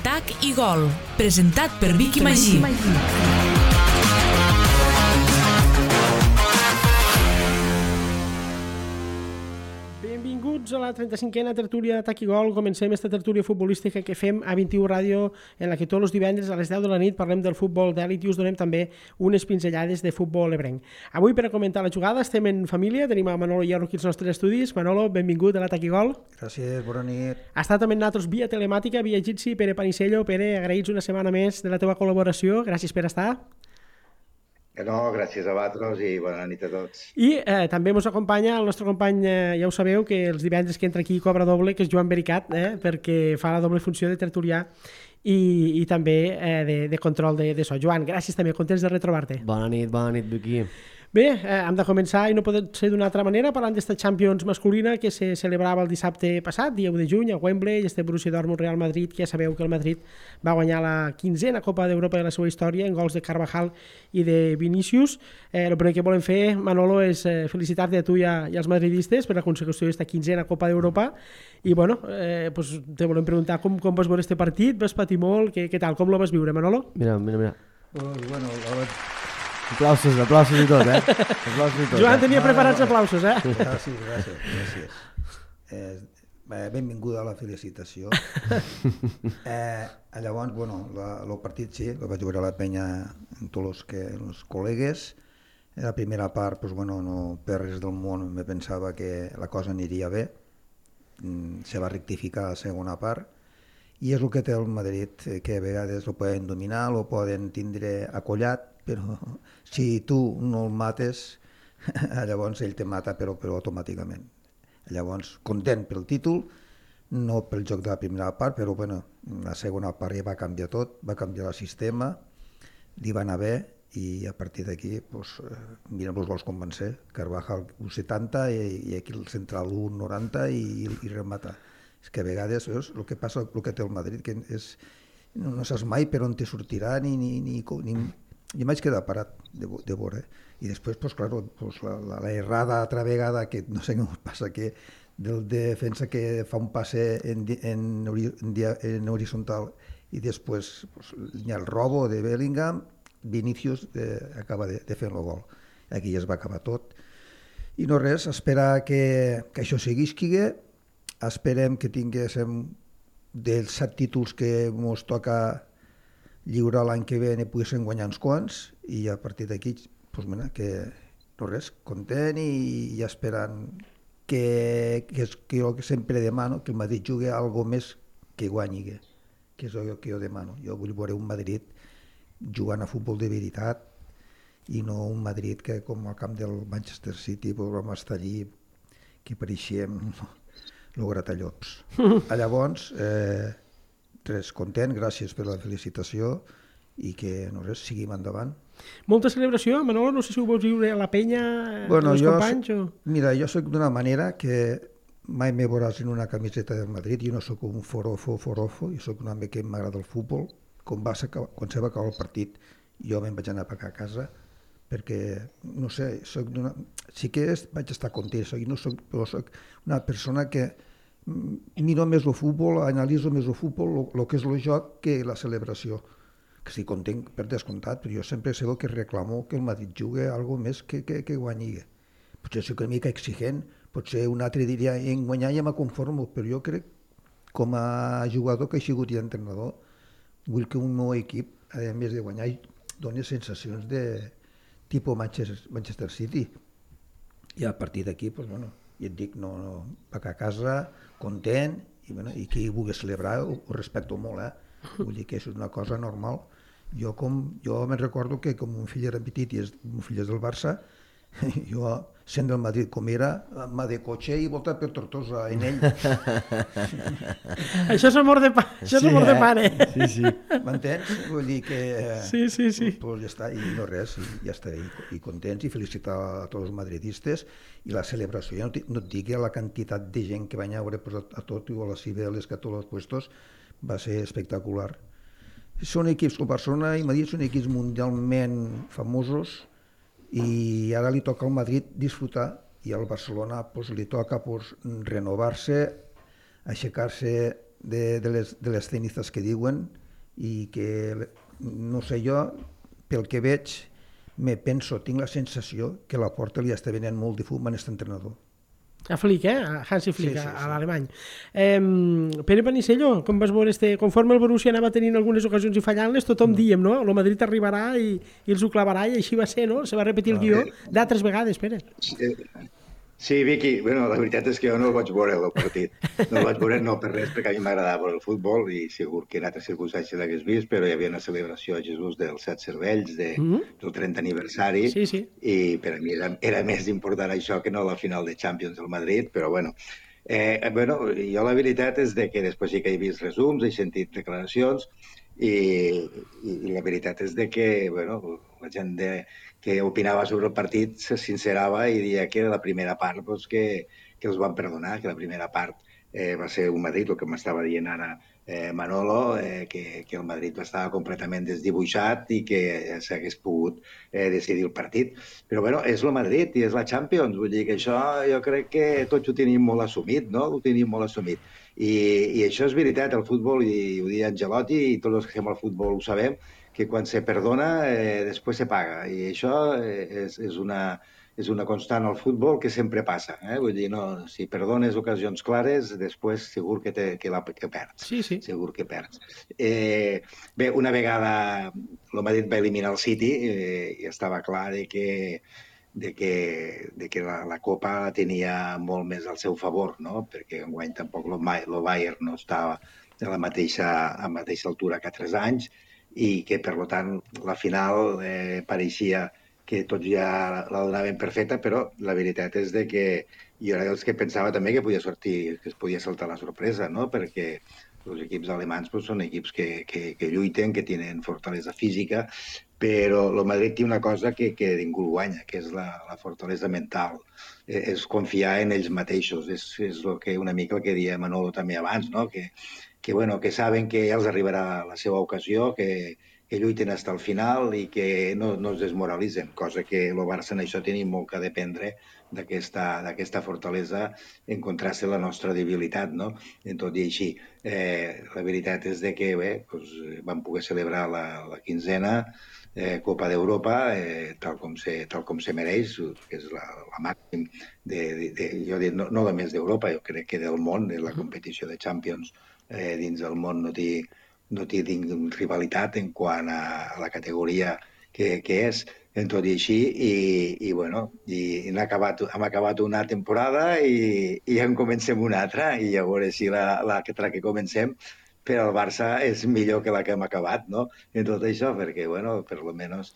Tac i Gol, presentat per Vicky Magí. Benvinguts a la 35a tertúlia de Tac i Gol. Comencem esta tertúlia futbolística que fem a 21 Ràdio, en la que tots els divendres a les 10 de la nit parlem del futbol d'èlit i us donem també unes pinzellades de futbol ebrenc. Avui, per a comentar la jugada, estem en família. Tenim a Manolo Hierro aquí als nostres estudis. Manolo, benvingut a la Tac i Gol. Gràcies, bona nit. Ha estat també amb nosaltres via telemàtica, via Jitsi, Pere Panisello. Pere, agraïts una setmana més de la teva col·laboració. Gràcies per estar. No, gràcies a vosaltres i bona nit a tots. I també ens acompanya el nostre company, ja ho sabeu, que els divendres que entra aquí cobra doble, que és Joan Bericat, perquè fa la doble funció de tertulià i també de control de so. Joan, gràcies també, contents de retrobar-te. Bona nit, Vicky. Bé, hem de començar, i no pot ser d'una altra manera, parlant d'esta Champions masculina que se celebrava el dissabte passat, dia 1 de juny, a Wembley, este Borussia Dortmund-Real Madrid, que ja sabeu que el Madrid va guanyar la 15a Copa d'Europa de la seva història en gols de Carvajal i de Vinícius. El primer que volem fer, Manolo, és felicitar-te a tu i als madridistes per la consecució d'esta 15a Copa d'Europa. I, bueno, pues te volem preguntar com vas veure este partit, vas patir molt, què tal, com lo vas viure, Manolo? Mira. Pues, bueno, Aplausos i tot, Joan tenia preparats aplausos, Gràcies. Benvinguda a la felicitació. Llavors, bueno, el partit sí, el vaig veure a la penya amb tots els col·legues. La primera part, pues, bueno, no per res del món me pensava que la cosa aniria bé. Se va rectificar la segona part. I és el que té el Madrid, que a vegades ho poden dominar, ho poden tindre acollat, però si tu no el mates, llavors ell te mata, però automàticament. Llavors, content pel títol, no pel joc de la primera part, però bueno, la segona part ja va canviar tot, va canviar el sistema, li va anar bé, i a partir d'aquí, pues, mirem els gols com van ser. Carvajal 1,70 i aquí el central 1,90 i remata. És que a vegades és el que passa, el que té el Madrid, que és, no saps mai per on te sortirà i vaig quedar parat de veure. I després, pues, claro, pues, la errada altra vegada, que no sé què passa, que del defensa que fa un passe en horitzontal i després pues, hi ha el robo de Bellingham, Vinícius acaba de fer el gol. Aquí ja es va acabar tot. I no res, esperar que això seguisqui. Esperem que tinguéssim dels 7 títols que ens toca lliurar l'any que ve, ne poguéssim guanyar uns quants, i a partir d'aquí, pues, mira, que no res, content i esperant que jo sempre demano, que el Madrid jugui algo més que guanyi, que és el que jo demano. Jo vull veure un Madrid jugant a futbol de veritat i no un Madrid que, com al camp del Manchester City, pues, vam estar allí que pareixíem el gratallops. Llavors, res, content, gràcies per la felicitació i que no res, seguim endavant. Molta celebració, Manolo, no sé si ho vols viure a la penya, amb els companys o... Mira, jo soc d'una manera que mai me veuràs en una camiseta del Madrid, jo no soc un forofo, jo soc un home que m'agrada el futbol. Quan se va acabar el partit jo me'n vaig anar a casa perquè, no sé, sí que vaig estar content, però soc una persona que miro més el futbol, analitzo més el futbol, el que és el joc, que la celebració. Que estic content per descomptat, però jo sempre sé que reclamo que el Madrid jugui algo més que guanyi. Potser soc una mica exigent, potser un altre diria en guanyar ja me conformo, però jo crec, com a jugador que he sigut i entrenador, vull que un meu equip, a més de guanyar, doni sensacions de tipus Manchester City. I a partir d'aquí, pues, bueno, ja et dic, no, vaig a casa, content, i qui vulgui celebrar ho respecto molt, vull dir que és una cosa normal. Jo me'n recordo que com un fill era petit i un fill és del Barça, jo, sent del Madrid com era, m'ha de cotxe i voltar per Tortosa en ell. Això és amor de pare. Sí. M'entens? Vull dir que... Sí. Pues ja està, i no res, ja està, i contents, i felicitar a tots els madridistes, i la celebració, no et digui la quantitat de gent que va anar a veure a tot, i a les Cibeles, que a tots els puestos, va ser espectacular. Són equips com Barcelona i Madrid, són equips mundialment famosos, i ara li toca al Madrid disfrutar, i al Barcelona li toca renovar-se, aixecar-se de les cenizes que diuen, i que, no sé, jo, pel que veig, tinc la sensació que la Porta li està venent molt de fum a aquest entrenador. A Flick, a Hansi Flick, Sí. a l'alemany. Pere Panisello, com vas veure, conforme el Borussia anava tenint algunes ocasions i fallant-les, tothom diem, no? El Madrid arribarà i els ho clavarà, i així va ser, no? Se va repetir el guió d'altres vegades, Pere. Sí, Vicky, bueno, la veritat és que jo no el vaig veure, el partit. No el vaig veure no per res, perquè a mi m'agradava veure el futbol i segur que en altres circumstàncies l'hagués vist, però hi havia una celebració a Jesús dels 7 cervells del 30 aniversari i per a mi era més important això que no la final de Champions del Madrid, però bueno. Jo la veritat és que després sí que he vist resums, he sentit declaracions i la veritat és que la gent que opinava sobre el partit se sincerava i deia que la primera part que els van perdonar, que la primera part va ser un Madrid, el que m'estava dient ara Manolo, que el Madrid estava completament desdibuixat i que s'hagués pogut decidir el partit. Però és el Madrid i és la Champions, vull dir que això jo crec que tots ho tenim molt assumit, no? Ho tenim molt assumit. I això és veritat, el futbol, i ho deia Ancelotti, i tots els que fem el futbol ho sabem, que quan se perdona després se paga. I això és una constant al futbol que sempre passa. Vull dir, no, si perdones ocasions clares, després segur que perds. Sí. Segur que perds. Bé, una vegada el Madrid va eliminar el City i estava clar que la Copa la tenia molt més al seu favor, no? Perquè enguany tampoc el Bayern no estava a la mateixa altura que 3 anys i que, per tant, la final pareixia que tots ja la donaven per feta, però la veritat és que jo era dels que pensava també que es podia saltar la sorpresa, no? Perquè els equips alemans són equips que lluiten, que tenen fortalesa física, però el Madrid té una cosa que ningú guanya, que és la fortalesa mental. És confiar en ells mateixos. És una mica el que deia Manolo també abans, no? Que saben que ja els arribarà la seva ocasió, que lluiten fins al final i que no es desmoralitzen, cosa que el Barça en això tenim molt que dependre d'aquesta fortalesa en contrast amb la nostra debilitat, no? En tot i així, la veritat és que vam poder celebrar la quinzena Copa d'Europa tal com se mereix, que és la màxim jo dic, no només d'Europa, jo crec que del món, la competició de Champions dins del món no té rivalitat en quant a la categoria que és, en tot i així, i hem acabat una temporada i ja en comencem una altra, i a veure si l'altra que comencem per al Barça és millor que la que hem acabat, no? En tot això, perquè, per almenys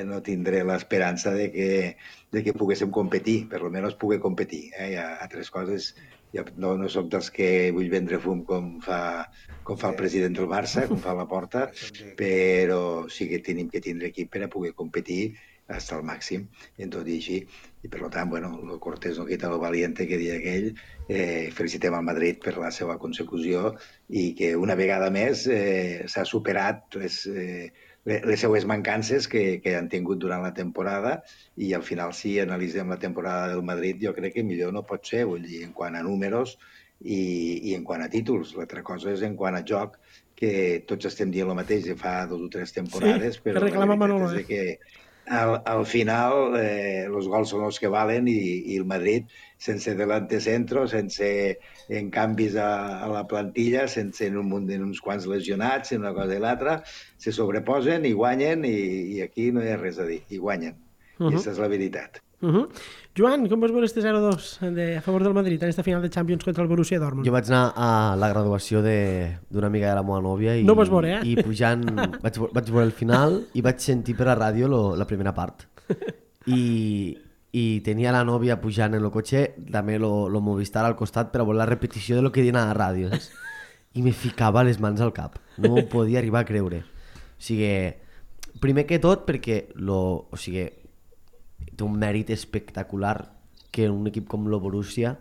no tindré l'esperança de que poguéssim competir, per almenys poder competir. Hi ha altres coses. Jo no soc dels que vull vendre fum com fa el president del Barça, com fa la Porta, però sí que tenim que tindre equip per a poder competir fins al màxim, en tot i així. I per tant, el cortés no quita lo valiente que deia aquell. Felicitem al Madrid per la seva consecució i que una vegada més s'ha superat les seues mancances que han tingut durant la temporada, i al final, si analitzem la temporada del Madrid, jo crec que millor no pot ser, vull dir, en quant a números i en quant a títols. L'altra cosa és en quant a joc, que tots estem dient el mateix de fa 2 o 3 temporades, però la veritat és que al final els gols són els que valen, i el Madrid, sense delante centro, sense en canvis a la plantilla, sense uns quants lesionats, en una cosa i l'altra, se sobreposen i guanyen, i aquí no hi ha res a dir, i guanyen. I aquesta és la veritat. Joan, com vas veure este 0-2 a favor del Madrid en esta final de Champions contra el Borussia Dortmund? Jo vaig anar a la graduació d'una amiga de la meva nòvia i, no vas veure, i pujant vaig veure el final i vaig sentir per la ràdio la primera part. I tenia la nòvia pujant en el cotxe, també lo Movistar al costat per a veure la repetició de lo que diuen a la ràdio. I me ficava les mans al cap. No m'ho podia arribar a creure. O sigui, primer que tot perquè té un mèrit espectacular que un equip com el Borussia,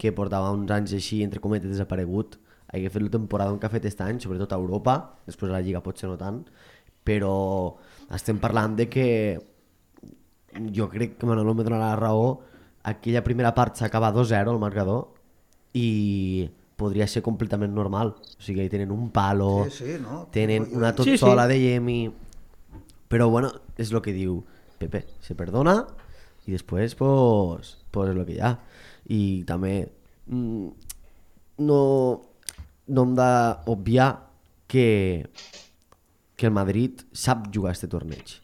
que portava uns anys així, entre cometes, desaparegut, hagi fet la temporada que ha fet aquest any, sobretot a Europa, després a la Lliga potser no tant, però estem parlant de que jo crec que Manolo me donarà la raó, aquella primera part s'acaba 2-0 al marcador i podria ser completament normal. O sigui, tenen un palo, Sí, no? tenen una tot Sí, sí. sola de Yemi, però bueno, és el que diu Pepe, se perdona i després pues és el que hi ha. I també no hem d'obviar que el Madrid sap jugar este torneig.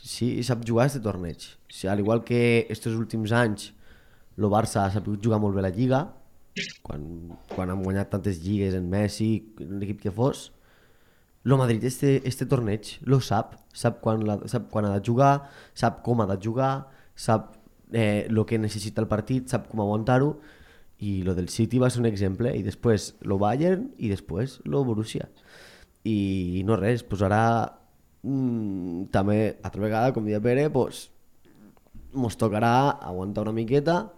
Sí, sap jugar este torneig. Sí, al igual que estos últims anys el Barça ha sabut jugar molt bé la Lliga, quan han guanyat tantes lligues en Messi, en l'equip que fos, el Madrid este torneig lo sap quan ha de jugar, sap com ha de jugar, sap el que necessita el partit, sap com aguantar-ho, i lo del City va ser un exemple, i després lo Bayern i després lo Borussia. I no res, pues ara també, altra vegada, com deia Pere, pues, mos tocarà aguantar una miqueta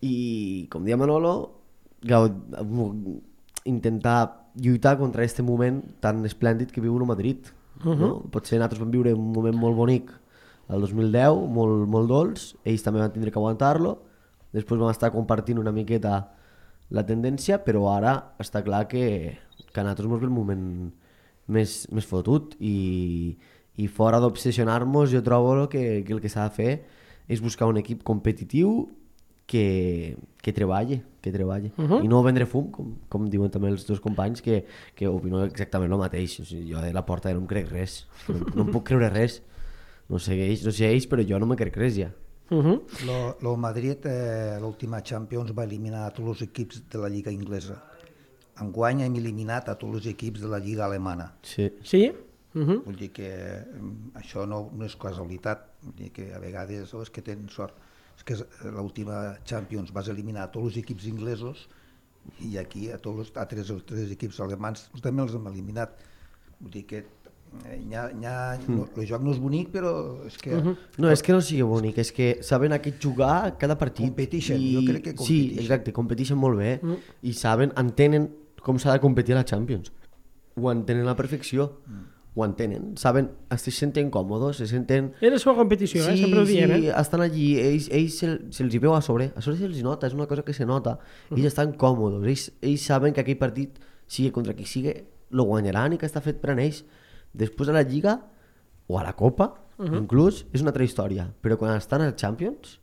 i, com deia Manolo, intentar lluitar contra aquest moment tan esplèndid que viu el Madrid. No? Potser nosaltres vam viure un moment molt bonic el 2010, molt dolç, ells també van tindre que aguantar-lo, després vam estar compartint una miqueta la tendència, però ara està clar que a nosaltres ens ve el moment més fotut i fora d'obsessionar-nos jo trobo que el que s'ha de fer és buscar un equip competitiu que treballe. I no vendre fum, com diuen també els dos companys, que opino exactament el mateix. O sigui, jo de la Porta no em crec res, no em puc creure res. No sé ells, però jo no me crec res ja. El Madrid, l'última Champions, va eliminar a tots els equips de la Lliga inglesa. Enguany hem eliminat a tots els equips de la Lliga alemana. Sí? Vull dir que això no és casualitat, vull dir que a vegades és que tenen sort. És que l'última Champions vas eliminar a tots els equips inglesos i aquí a tots els tres equips alemans també els hem eliminat. Vull dir que el joc no és bonic, però és que... No, és que no sigui bonic, és que saben jugar cada partit. Competeixen, jo crec que Sí, competeixen. exacte, competeixen molt bé i entenen com s'ha de competir a la Champions. Ho entenen a la perfecció. Ho entenen, saben, se senten còmodes, se senten... És la seva competició, sempre ho diem. Sí, estan allí, ells se'ls hi veu a sobre se'ls nota, és una cosa que se nota, ells estan còmodes, ells saben que aquell partit, sigui contra qui sigui, lo guanyaran i que està fet per a ells. Després a la Lliga, o a la Copa, inclús, és una altra història, però quan estan als Champions,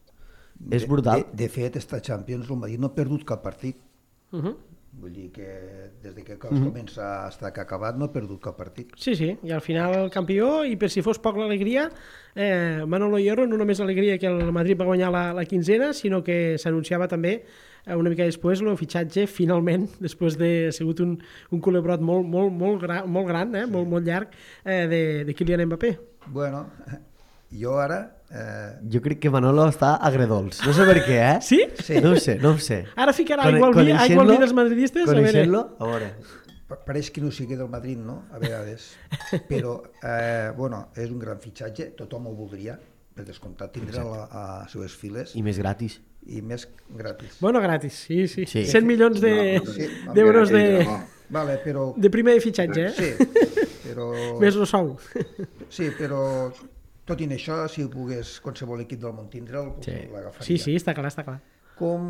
és brutal. De fet, esta Champions, el Madrid no ha perdut cap partit. Vull dir que des que comença fins que ha acabat no ha perdut cap partit. Sí, i al final el campió, i per si fos poc l'alegria, Manolo Hierro no només l'alegria que el Madrid va guanyar la quinzena, sinó que s'anunciava també una mica després el fitxatge, finalment, després de sigut un culebrot molt gran, molt llarg, de Kylian Mbappé. Bueno, jo ara... Jo crec que Manolo està agredolç, no sé per què, eh? Sí? No ho sé. Ara ficarà aigua al vi dels madridistes? Coneixent-lo, a veure... Pareix que no sigui del Madrid, no? A vegades. Però, bueno, és un gran fitxatge, tothom ho voldria, per descomptat, tindre a les seves files. I més gratis. I més gratis. Bueno, gratis, sí. Sí. 100 milions d'euros Vale, però... de primer fitxatge, Sí, però... Més el sou. Sí, però... Tot i això, si pogués qualsevol equip del món tindre'l, l'agafaria. Sí, està clar. Com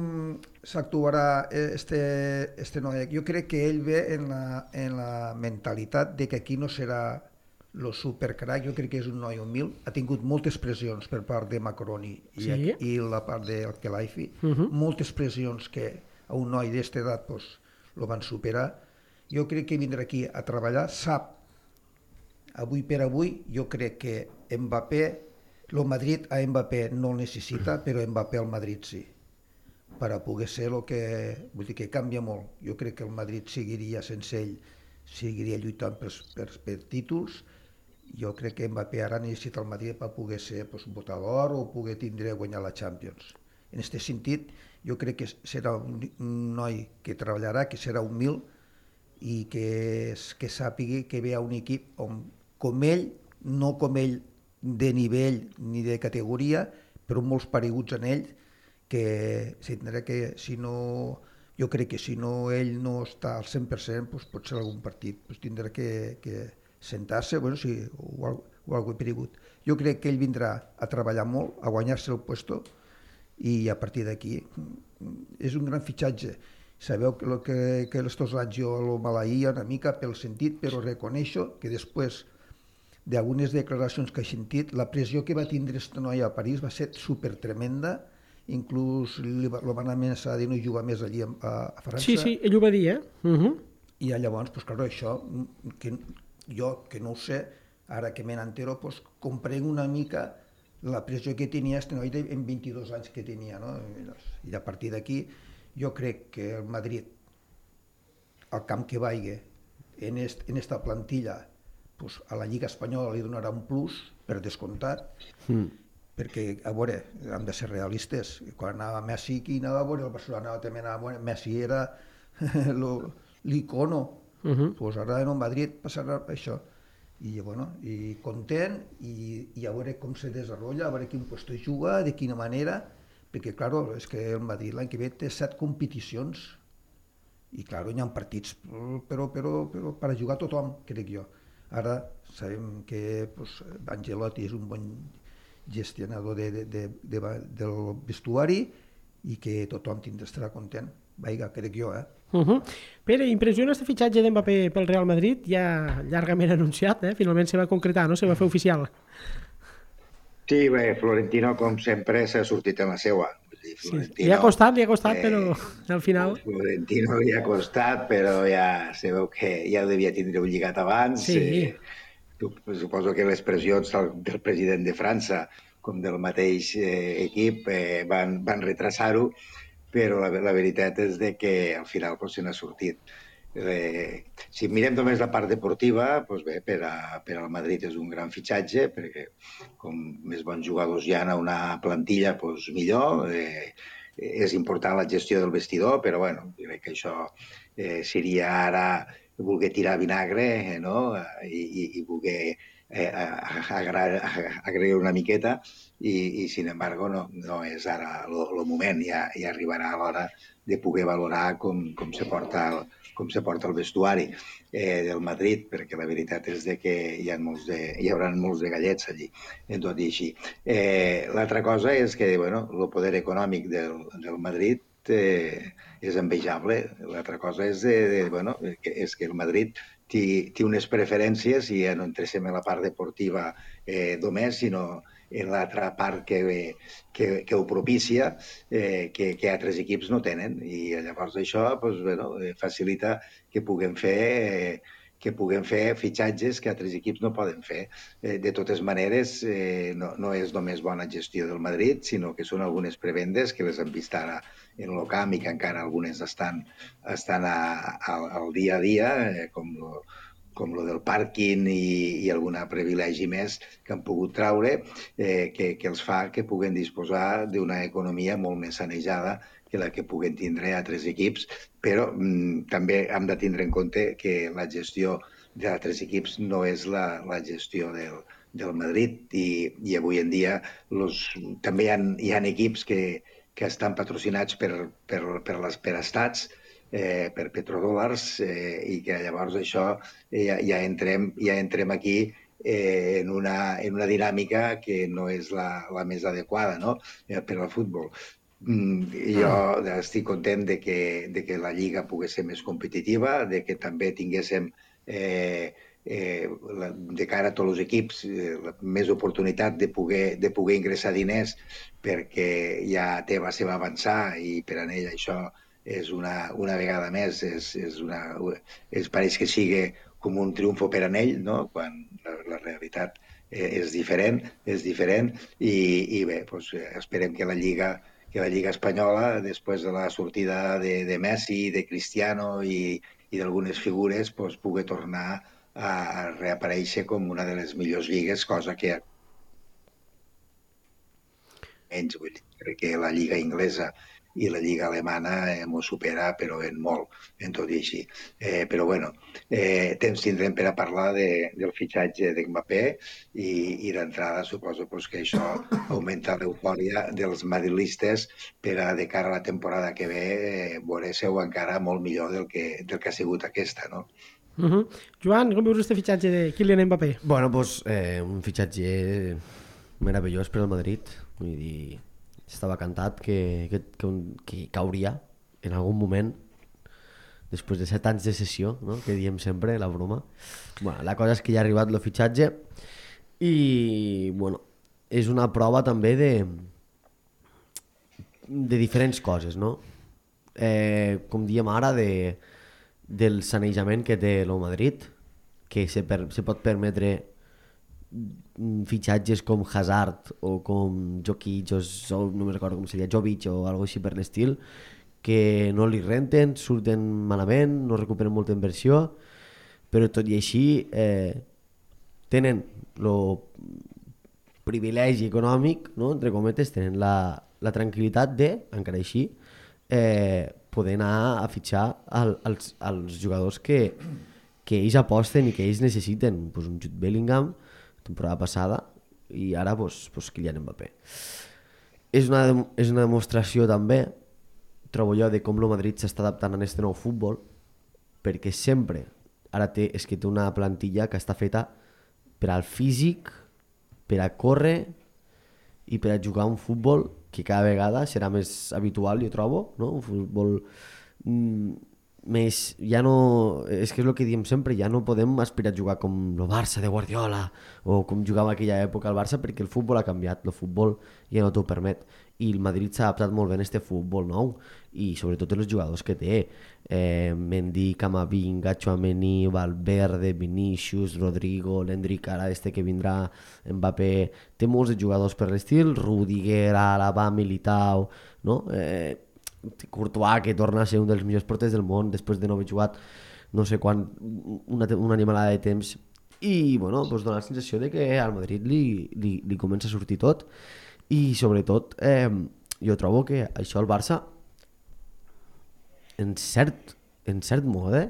s'actuarà este noi? Jo crec que ell ve en la mentalitat de que aquí no serà el supercrac, jo crec que és un noi humil, ha tingut moltes pressions per part de Macroni i la part del Kelaifi, moltes pressions que a un noi d'esta edat lo van superar. Jo crec que vindrà aquí a treballar, sap, avui per avui, jo crec que Mbappé, el Madrid a Mbappé no el necessita, però Mbappé al Madrid sí, per a poder ser el que... Vull dir que canvia molt. Jo crec que el Madrid seguiria sense ell, seguiria lluitant per títols. Jo crec que Mbappé ara necessita el Madrid per poder ser votador o poder guanyar la Champions. En aquest sentit, jo crec que serà un noi que treballarà, que serà humil i que sàpiga que ve a un equip on, com ell, no com ell de nivell ni de categoria, però molts pareguts en ell, que si no, jo crec que si no ell no està al 100%, pot ser algun partit, tindrà que sentar-se, bueno, sí, o algo paregut. Jo crec que ell vindrà a treballar molt, a guanyar-se el puesto, i a partir d'aquí és un gran fitxatge. Sabeu que estos anys jo el maleïa una mica pel sentit, però reconeixo que després d'algunes declaracions que he sentit, la pressió que va tindre aquesta noia a París va ser super tremenda, inclús el van amenaçar de no jugar més allí a França. Sí, ell ho va dir, I llavors, pues, claro, això, que jo que no ho sé, ara que me n'entero, pues, comprenc una mica la pressió que tenia este noi en 22 anys que tenia, no? I a partir d'aquí jo crec que el Madrid, al camp que vagi, en esta plantilla, pues, a la Lliga Espanyola li donarà un plus, per descomptat, perquè, a veure, hem de ser realistes, quan anava Messi, qui anava a veure el Barcelona, també anava a veure, Messi era l'icono, pues ara en el Madrid passarà això, i bueno, i content, i a veure com se desenvolupa, a veure quin puesto juga, de quina manera, perquè, claro, és que el Madrid l'any que ve té 7 competicions, i, claro, hi ha partits, però per a jugar tothom, crec jo. Ara sabem que pues, Ancelotti és un bon gestionador del vestuari i que tothom estarà content. Vinga, crec jo, Pere, impressiona este fitxatge d'Mbappé pel Real Madrid, ja llargament anunciat, finalment se va concretar, no? Se va fer oficial. Sí, bé, Florentino, com sempre, s'ha sortit amb la seua. Li ha costat, però al final... Florentino li ha costat, però ja se veu que ja ho devia tindre lligat abans. Sí. Suposo que les pressions del president de França com del mateix equip van retrasar-ho, però la veritat és que al final se n'ha sortit. Si mirem només la part deportiva, doncs bé, per al Madrid és un gran fitxatge, perquè com més bons jugadors hi ha a una plantilla, doncs millor. És important la gestió del vestidor, però bueno, crec que això seria ara voler tirar vinagre, no? I voler agrair una miqueta, i sin embargo no és ara el moment, ja arribarà l'hora de poder valorar com se porta el vestuari del Madrid, perquè la veritat és que hi haurà molts de gallets allí, tot i així. L'altra cosa és que el poder econòmic del Madrid és envejable. L'altra cosa és que el Madrid té unes preferències, i ja no entrem en la part deportiva només, sinó en l'altra part que ho propicia, que altres equips no tenen. I llavors això facilita que puguem fer fitxatges que altres equips no poden fer. De totes maneres, no és només bona gestió del Madrid, sinó que són algunes prebendes que les hem vist ara en el camp i que encara algunes estan al dia a dia, com lo del pàrquing i algun privilegi més que han pogut traure, que els fa que puguen disposar d'una economia molt més sanejada que la que puguen tindre altres equips, però també hem de tindre en compte que la gestió d'altres equips no és la gestió del Madrid, i avui en dia també hi ha equips que estan patrocinats per estats, per petrodòlars, i que llavors això ja entrem aquí en una dinàmica que no és la més adequada, no?, per al futbol. Jo estic content de que la Lliga pogués ser més competitiva, de que també tinguéssim de cara a tots els equips més oportunitat de poder ingressar diners, perquè ja Tebas se va avançar i per a ell això és una vegada més, pareix que sigui com un triomfo per a ell, no?, quan la realitat és diferent, i bé, esperem que la Lliga Espanyola, després de la sortida de Messi, de Cristiano i d'algunes figures, pugui tornar a reaparèixer com una de les millors lligues, cosa que crec que la Lliga Inglesa i la Lliga Alemana m'ho supera, però en molt, en tot i així. Però bueno, temps tindrem per a parlar del fitxatge d'Mbappé, i d'entrada suposo que això augmenta l'eufòria dels madridistes per a, de cara a la temporada que ve, veure-se-ho encara molt millor del que ha sigut aquesta, no? Joan, com veus aquest fitxatge de Kylian Mbappé? Bueno, doncs un fitxatge meravellós per al Madrid. Vull dir, estava cantat que cauria en algun moment, després de 7 anys de sessió, no? Que diem sempre, la broma. Bueno, la cosa és que ja ha arribat el fitxatge i, bueno, és una prova també de diferents coses, no? Com diem ara, del sanejament que té el Madrid, que se pot permetre fitxatges com Hazard o com Jokic o no me recordo com seria, Jovic o algo així per l'estil, que no li renten, surten malament, no recuperen molta inversió, però tot i així tenen el privilegi econòmic, no? Entre cometes, tenen la tranquil·litat de, encara així, poder anar a fitxar als jugadors que ells aposten i que ells necessiten, pues un Jude Bellingham temporada passada i ara pues Kylian Mbappé. És una demostració també, trobo jo, de com el Madrid s'està adaptant a aquest nou futbol, perquè sempre ara té una plantilla que està feta per al físic, per a córrer i per a jugar un futbol que cada vegada serà més habitual, jo trobo, no? Un futbol més, ja no, és que és el que diem sempre, ja no podem aspirar a jugar com el Barça de Guardiola o com jugava en aquella època el Barça, perquè el futbol ha canviat, el futbol ja no t'ho permet i el Madrid s'ha adaptat molt bé a aquest futbol nou i sobretot els jugadors que té, Mendy, Camavinga, Tchouaméni, Valverde, Vinícius, Rodrigo, l'Endrick, ara que vindrà, Mbappé, té molts jugadors per l'estil, Rudiger, Alaba, Militao, no? Courtois, que torna a ser un dels millors porters del món després de no haver jugat no sé quan, una animalada de temps i bueno, doncs dona la sensació de que al Madrid li comença a sortir tot i sobretot jo trobo que això al Barça en cert mode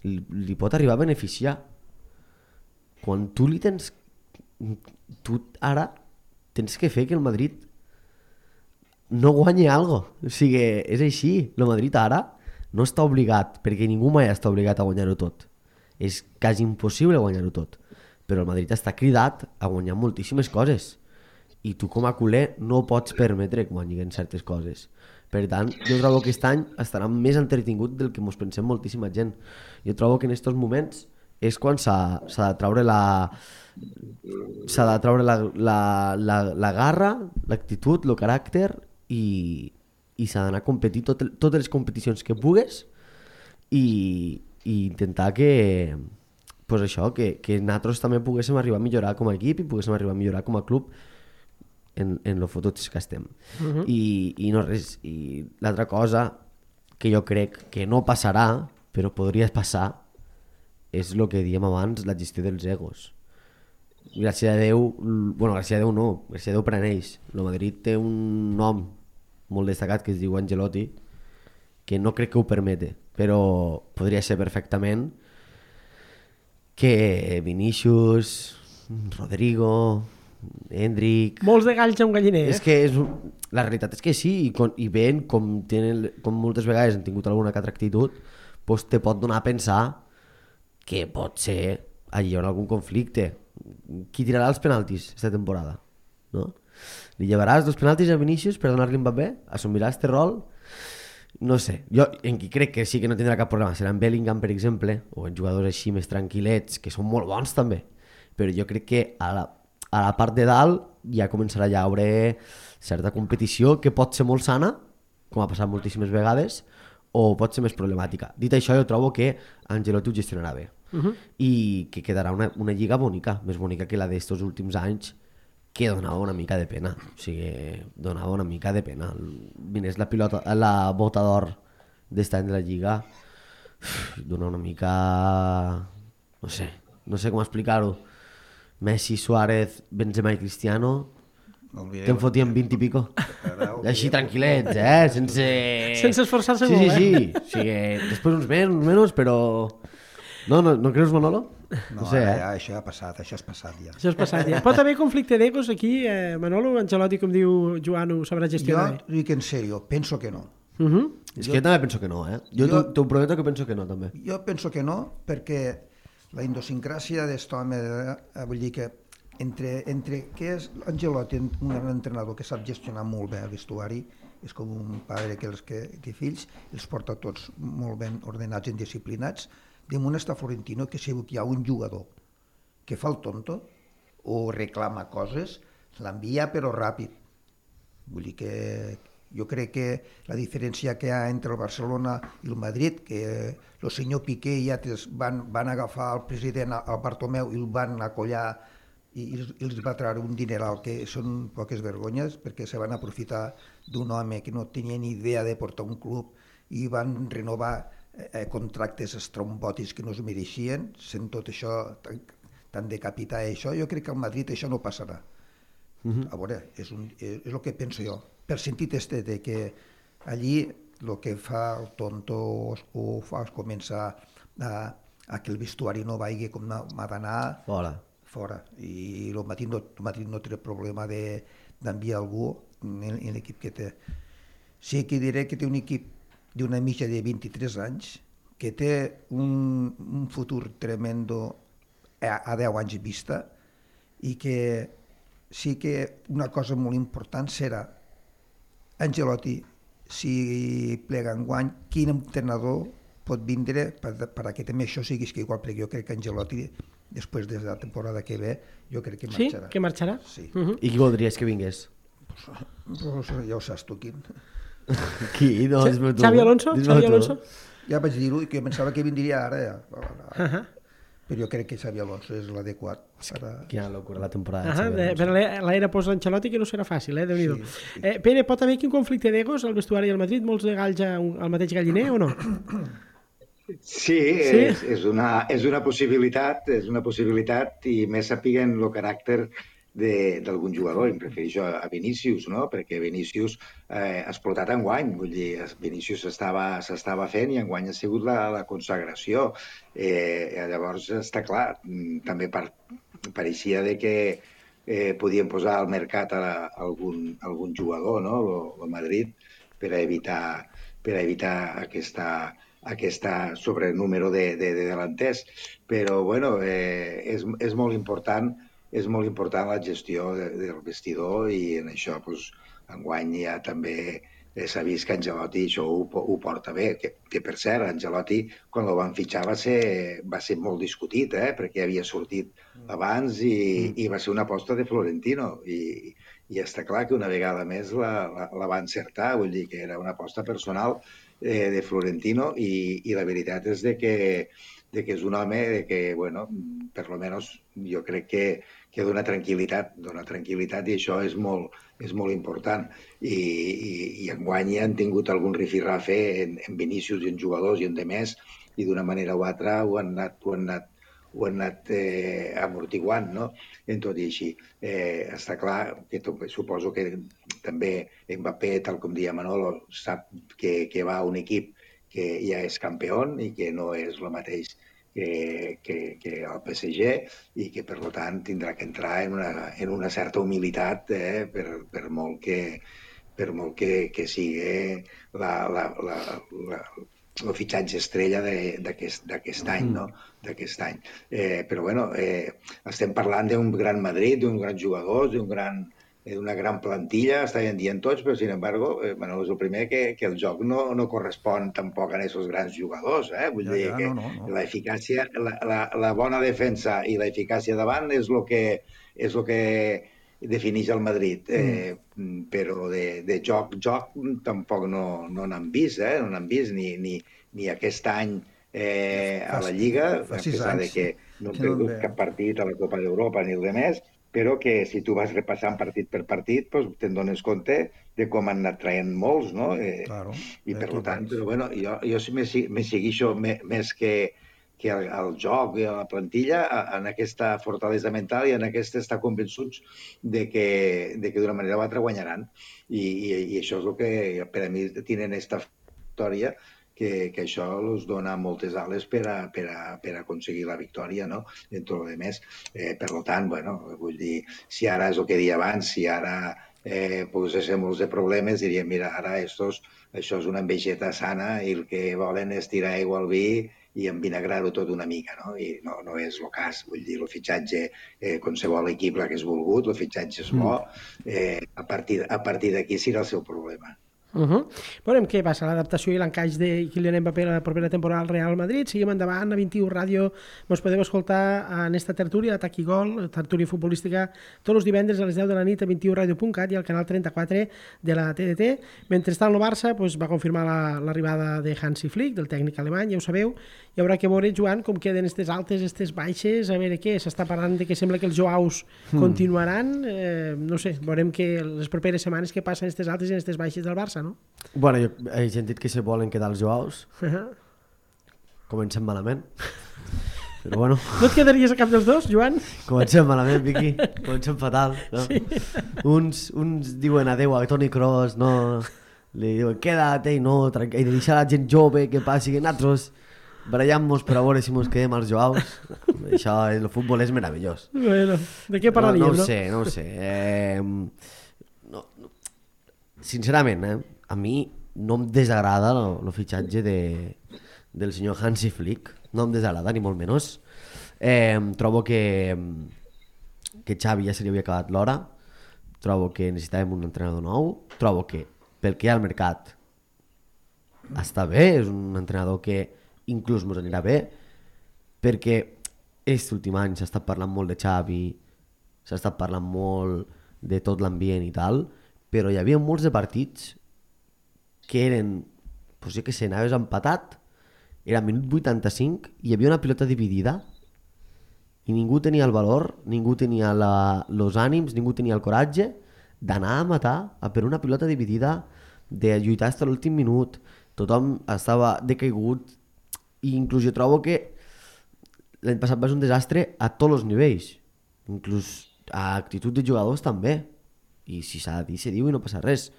li pot arribar a beneficiar quan tu ara tens que fer que el Madrid no guanyi algo, o sigui, és així, el Madrid ara no està obligat, perquè ningú mai està obligat a guanyar-ho tot, és quasi impossible guanyar-ho tot, però el Madrid està cridat a guanyar moltíssimes coses i tu com a culer no pots permetre que guanyin certes coses, per tant jo trobo que aquest any estarà més entretingut del que mos pensem moltíssima gent. Jo trobo que en aquests moments és quan s'ha de treure la garra, l'actitud, el caràcter i s'ha d'anar a competir totes les competicions que pugues i intentar que pues això, que nosaltres també poguéssim arribar a millorar com a equip i poguéssim arribar a millorar com a club en lo fotuts que estem. I no res, i l'altra cosa que jo crec que no passarà però podria passar és el que diem abans, la gestió dels egos. Gràcies a Déu, bueno, gràcies a Déu no, gràcies a Déu per a ells. El Madrid té un nom molt destacat que es diu Ancelotti, que no crec que ho permete, però podria ser perfectament que Vinícius, Rodrigo, Endrick... Molts de galls a un galliner, És que la realitat és que sí, i veient com moltes vegades han tingut alguna que altra actitud, doncs te pot donar a pensar que pot ser allà on algun conflicte. Qui tirarà els penaltis aquesta temporada? No? Li llevaràs els penaltis a Vinícius per donar-li Mbappé? Assumirà este rol? No sé, jo en qui crec que sí que no tindrà cap problema serà en Bellingham, per exemple, o en jugadors així més tranquil·lets, que són molt bons també, però jo crec que a la part de dalt ja començarà ja a haure certa competició que pot ser molt sana, com ha passat moltíssimes vegades, o pot ser més problemàtica. Dit això, jo trobo que Ancelotti ho gestionarà bé i que quedarà una lliga bonica, més bonica que la d'estos últims anys, que donava una mica de pena. O sigui, donava una mica de pena. Vinés la bota d'or d'est any de la lliga, dona una mica... no sé com explicar-ho. Messi, Suárez, Benzema i Cristiano... que em fotien 20 i pico. Així tranquil·lets, sense esforçar-se molt, eh? Sí. O sigui, després uns menys, però... No creus, Manolo? No sé, ja, això ja ha passat, això és passat ja. Això és passat ja. Pot haver conflicte d'egos aquí, Manolo? Ancelotti, com diu Joan, ho sabrà gestionar bé? Jo dic en sèrio, penso que no. És que jo també penso que no, Jo t'ho prometo que penso que no, també. Jo penso que no, perquè la idiosincràsia d'est home, vull dir que entre que és Ancelotti un entrenador que sap gestionar molt bé el vestuari és com un pare que té fills, els porta tots molt ben ordenats i disciplinats. Damunt està Florentino, que si hi ha un jugador que fa el tonto o reclama coses, l'envia però ràpid. Vull dir que jo crec que la diferència que hi ha entre el Barcelona i el Madrid, que el senyor Piqué i altres van agafar el president, el Bartomeu, i el van acollar i els va treure un dineral, que són poques vergonyes, perquè se van aprofitar d'un home que no tenia ni idea de portar un club i van renovar contractes estrombòtics que no es mereixien, sent tot això tan de capità. Això, jo crec que al Madrid això no passarà. A veure, és el que penso jo, per sentit de que allí el que fa el tonto o fa començar a que el vestuari no vagi com m'ha d'anar fora. I el Madrid no té problema d'enviar algú en l'equip que té. Sí que diré que té un equip d'una mitja de 23 anys que té un futur tremendo a 10 anys vista, i que sí que una cosa molt important serà Ancelotti, si plega enguany, quin entrenador pot vindre perquè també això sigui igual, perquè jo crec que Ancelotti, després de la temporada que ve, jo crec que marxarà. Sí? Que marxarà? Sí. I qui voldries que vingués? Pues ja ho saps tu, quin. Qui? No, dis-me tu. Xavi Alonso? Xavi Alonso? Ja vaig dir-ho, i que pensava que vindria ara. Però jo crec que Xavi Alonso és l'adequat. Quina locura la temporada. Per l'era post-Ancelotti, que no serà fàcil, Déu-n'hi-do. Pere, pot haver quin conflicte d'egos al vestuari del Madrid? Molts de galls al mateix galliner o no? Sí, és una possibilitat, i més sapiguen el caràcter d'algun jugador. Em refereixo a Vinícius, no? Perquè Vinícius ha explotat enguany, vull dir, Vinícius s'estava fent i enguany ha sigut la consagració. Llavors, està clar, també pareixia que podien posar al mercat algun jugador, no? El Madrid, per evitar aquesta sobrenúmero de delanters. Però, bueno, és molt important la gestió del vestidor, i en això enguany ja també s'ha vist que Ancelotti això ho porta bé, que per cert, Ancelotti quan el van fitxar va ser molt discutit, perquè havia sortit abans i va ser una aposta de Florentino, i està clar que una vegada més la va encertar, vull dir que era una aposta personal de Florentino, i la veritat és que és un home que, bueno, per lo menos jo crec que dona tranquil·litat, i això és molt important. I enguany han tingut algun rifirrafe en Vinícius i en jugadors i en demés, i d'una manera o altra ho han anat amortiguant, no? En tot i així. Està clar que suposo que també Mbappé, tal com deia Manolo, sap que va a un equip que ja és campió i que no és el mateix que el PSG, i que per tant tindrà que entrar en una certa humilitat per molt que sigui el fitxatge estrella d'aquest any, no? Però bueno, estem parlant d'un gran Madrid, d'un gran jugador, d'una gran plantilla, estaven dient tots, però sin embargo, bueno, és el primer que el joc no correspon tampoc a aquests grans jugadors, vull dir que l'eficàcia, la bona defensa i l'eficàcia davant és el que defineix el Madrid, però de joc tampoc no n'han vist, no n'han vist ni aquest any a la Lliga, a pesar que no han perdut cap partit a la Copa d'Europa ni res més, però que si tu vas repassant partit per partit te'n dones compte de com han anat traient molts, no? I per tant, però bueno, jo me segueixo més que al joc i a la plantilla, en aquesta fortalesa mental i en aquesta estar convençuts de que d'una manera o altra guanyaran. I això és el que per a mi tenen aquesta victòria, que això els dona moltes ales per aconseguir la victòria, no? En tot el més. Per tant, bueno, vull dir, si ara és el que deia abans, si ara poséssim molts de problemes, diríem, mira, ara això és una envejeta sana i el que volen és tirar aigua al vi i envinagrar-ho tot una mica, no? I no és el cas. Vull dir, el fitxatge, qualsevol equip l'hagués volgut, el fitxatge és bo, a partir d'aquí serà el seu problema. Veurem què passa, l'adaptació i l'encaix de Kylian Mbappé la propera temporada al Real Madrid. Seguim endavant, a 21 Ràdio mos podeu escoltar en esta tertúlia, Atac i Gol, tertúlia futbolística, tots els divendres a les 10 de la nit a 21radio.cat i al canal 34 de la TDT. Mentrestant, el Barça va confirmar l'arribada de Hansi Flick, del tècnic alemany, ja ho sabeu. Hi haurà que veure, Joan, com queden aquestes altes, aquestes baixes, a veure què, s'està parlant de que sembla que els Joaus continuaran, no sé, veurem que les properes setmanes què passen aquestes altes i aquestes baixes del Barça, no? Bueno, jo he sentit que se volen quedar els Joaus. Comencem malament. Però bueno... No et quedaries a cap dels dos, Joan? Comencem malament, Vicky. Comencem fatal. No? Sí. Uns diuen adeu a Toni Kroos, no... Li diuen queda't, no, i deixar la gent jove que passi, que nosaltres barallam-nos per a veure si mos quedem als Joaus. Això, el futbol és meravellós. Bueno, de què parlaríem, no? No ho sé. Sincerament, a mi no em desagrada el fitxatge del senyor Hansi Flick. No em desagrada, ni molt menys. Trobo que Xavi ja se li havia acabat l'hora. Trobo que necessitàvem un entrenador nou. Trobo que pel que hi ha al mercat està bé, és un entrenador que inclús mos anirà bé, perquè aquest últim any s'ha estat parlant molt de Xavi, s'ha estat parlant molt de tot l'ambient i tal, però hi havia molts de partits que eren, doncs jo que sé, anaves empatat, era minut 85, hi havia una pilota dividida i ningú tenia el valor, ningú tenia els ànims, ningú tenia el coratge d'anar a matar per una pilota dividida, de lluitar fins a l'últim minut. Tothom estava decaigut i inclús jo trobo que l'any passat va ser un desastre a tots els nivells, inclús a actitud de jugadors també, i si s'ha de dir, se diu i no passa res.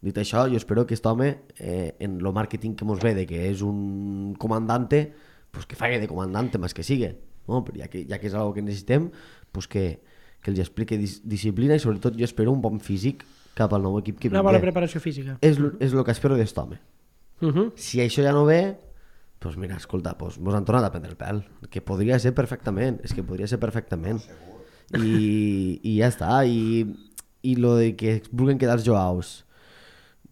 Dit això, jo espero que aquest home en el màrqueting que mos ve de que és un comandante, pues que faci de comandante més que siga, no? Però ja que és algo que necessitem, pues que els expliqui disciplina i sobretot jo espero un bon físic cap al nou equip que vingui. Una bona preparació física. És el que espero d'aquest home. Si això ja no ve, doncs mira, escolta, mos han tornat a prendre el pèl, que podria ser perfectament, és que podria ser perfectament. I ja està, i lo de que vulguin quedar els Joaus,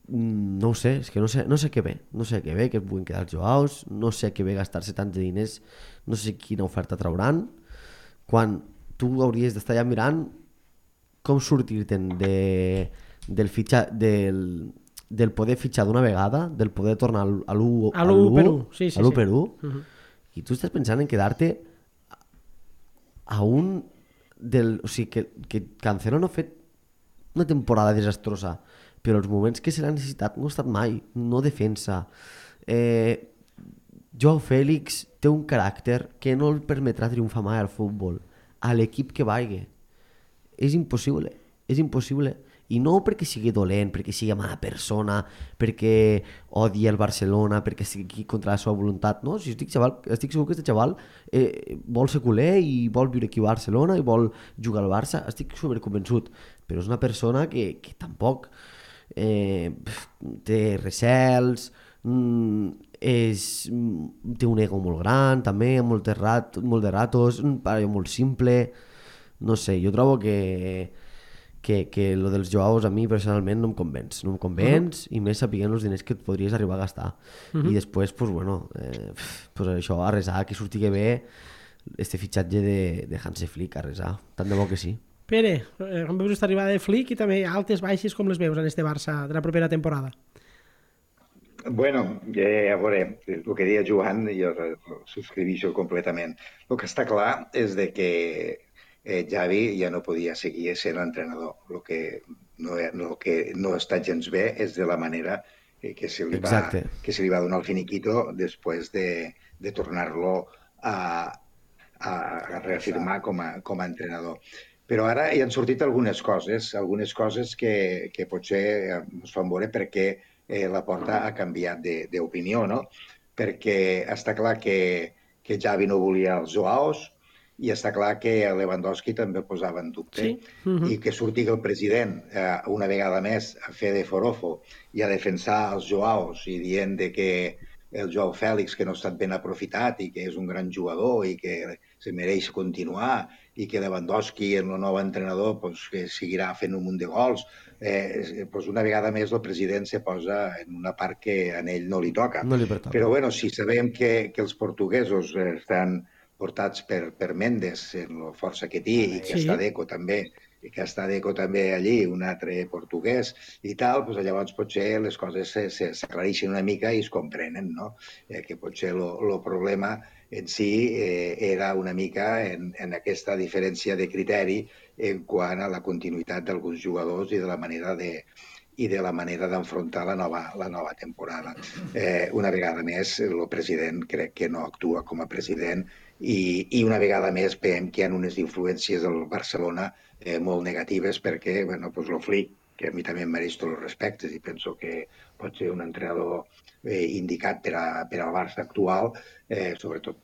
no ho sé, és que no sé què ve, que vulguin quedar els Joaus, no sé què ve gastar-se tants diners, no sé quina oferta trauran, quan tu hauries d'estar ja mirant com sortir-te'n del poder fitxar d'una vegada, del poder tornar a l'1 per 1, i tu estàs pensant en quedar-te a un o sigui, que Cancelo no ha fet una temporada desastrosa, però els moments que se l'ha necessitat no ha estat mai, no defensa. Joao Félix té un caràcter que no el permetrà triomfar mai al futbol, a l'equip que vagi. És impossible. I no perquè sigui dolent, perquè sigui mala persona, perquè odia el Barcelona, perquè estigui contra la seva voluntat. No, si estic segur que aquest xaval vol ser culer i vol viure aquí a Barcelona i vol jugar al Barça, estic superconvençut. Però és una persona que tampoc té recels, té un ego molt gran, també, molt de ratos, un parell molt simple. No sé, jo trobo que lo dels Joaos a mi personalment no em convenç, i més sapiguent els diners que et podries arribar a gastar. I després, pues això, a resar, que surti bé este fitxatge de Hansi Flick, a resar, tant de bo que sí. Pere, com veus esta arribada de Flick i també altes baixes com les veus en este Barça de la propera temporada? Bueno, a veure, el que deia Joan, jo subscriveixo completament. El que està clar és de que Xavi ja no podia seguir sent entrenador. El que no està gens bé és de la manera que se li va donar el finiquito després de tornar-lo a reafirmar com a entrenador. Però ara hi han sortit algunes coses que potser ens fan veure perquè la Porta ha canviat d'opinió, no? Perquè està clar que Xavi no volia els Joaos, i està clar que Lewandowski també posava en dubte, i que surti el president una vegada més a fer de forofo i a defensar els Joaos i dient que el Joao Fèlix, que no ha estat ben aprofitat i que és un gran jugador i que se mereix continuar, i que Lewandowski, el nou entrenador, pues, que seguirà fent un munt de gols, pues una vegada més el president se posa en una part que a ell no li toca. No li pertoca. Però bueno, si sabem que els portuguesos estan portats per Mendes, en la força que té, i que està Deco també, i que està Deco també allí, un altre portuguès i tal, doncs llavors potser les coses s'aclareixen una mica i es comprenen, no? Que potser el problema en si era una mica en aquesta diferència de criteri en quant a la continuïtat d'alguns jugadors i de la manera d'enfrontar la nova temporada. Una vegada més, el president crec que no actua com a president i una vegada més veiem que hi ha unes influències del Barcelona molt negatives perquè, bueno, doncs el Flick, que a mi també em mereix tots els respectes i penso que pot ser un entrenador indicat per al Barça actual, sobretot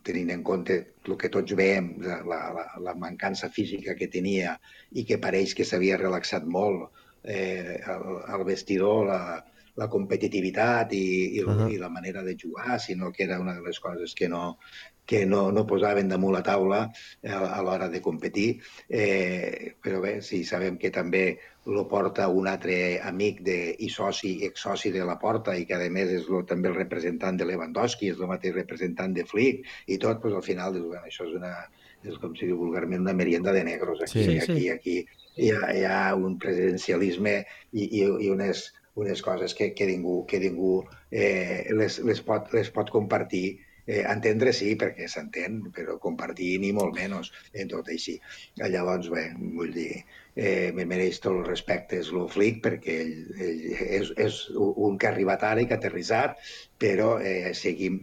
tenint en compte el que tots veiem, la mancança física que tenia i que pareix que s'havia relaxat molt al vestidor, la competitivitat i la manera de jugar, sinó que era una de les coses que no posaven damunt la taula a l'hora de competir. Però bé, sí, sabem que també lo porta un altre amic i exsoci de la Porta i que a més és també el representant de Lewandowski, és el mateix representant de Flick i tot, doncs al final dius, bueno, això és com si diu vulgarment una merienda de negros. Aquí hi ha un presidencialisme i unes coses que ningú les pot compartir. Entendre sí, perquè s'entén, però compartir ni molt menys en tot així. Llavors, bé, vull dir, me mereix tots els respectes el Flick, perquè ell és un que ha arribat ara i que ha aterrissat, però seguim